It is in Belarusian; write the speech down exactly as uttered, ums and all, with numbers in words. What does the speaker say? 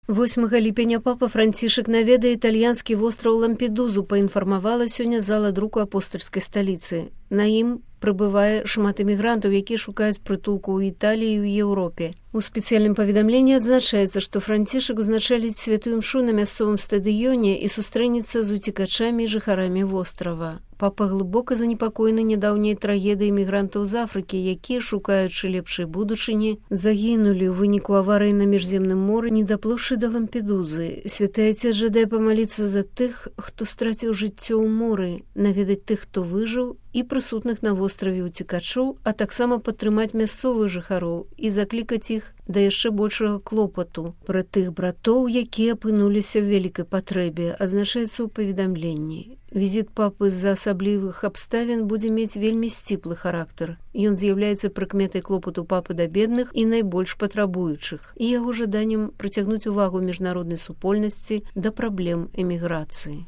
восьмага ліпеня папа Францішак наведае італьянскі востраў Лампедузу, паінфармавала сёння зала друку апостальскай сталіцы. На ім прыбывае шмат эмігрантаў, якія шукаюць прытулку ў Італіі і ў Еўропе. У спецыяльным паведамленні адзначаецца, што Францішак узначаліць святую імшу на мясцовым стадыёне і сустрэнецца з уцекачамі і жыхарамі вострава. Папа глыбока занепакоены нядаўняй трагедыяй эмігрантаў з Афрыкі, якія, шукаючы лепшай будучыні, загінулі ў выніку аварыі на міжземным моры, не даплыўшы да Лампедузы. Святы Айцец жадае памаліцца за тых, хто страціў жыццё ў моры, наведаць тых, хто выжыў, і прысутных на востраве уцекачоў, а таксама падтрымаць мясцовых жыхароў і заклікаць іх да яшчэ большага клопату пра тых братоў, якія апынуліся ў вялікай патрэбе, адзначаецца ў паведамленні. Візіт папы з-за асаблівых абставін будзе мець вельмі сціплы характар. Ён з'яўляецца прыкметай клопату папы да бедных і найбольш патрабуючых, і яго жаданнем прыцягнуць увагу міжнароднай супольнасці да праблем эміграцыі.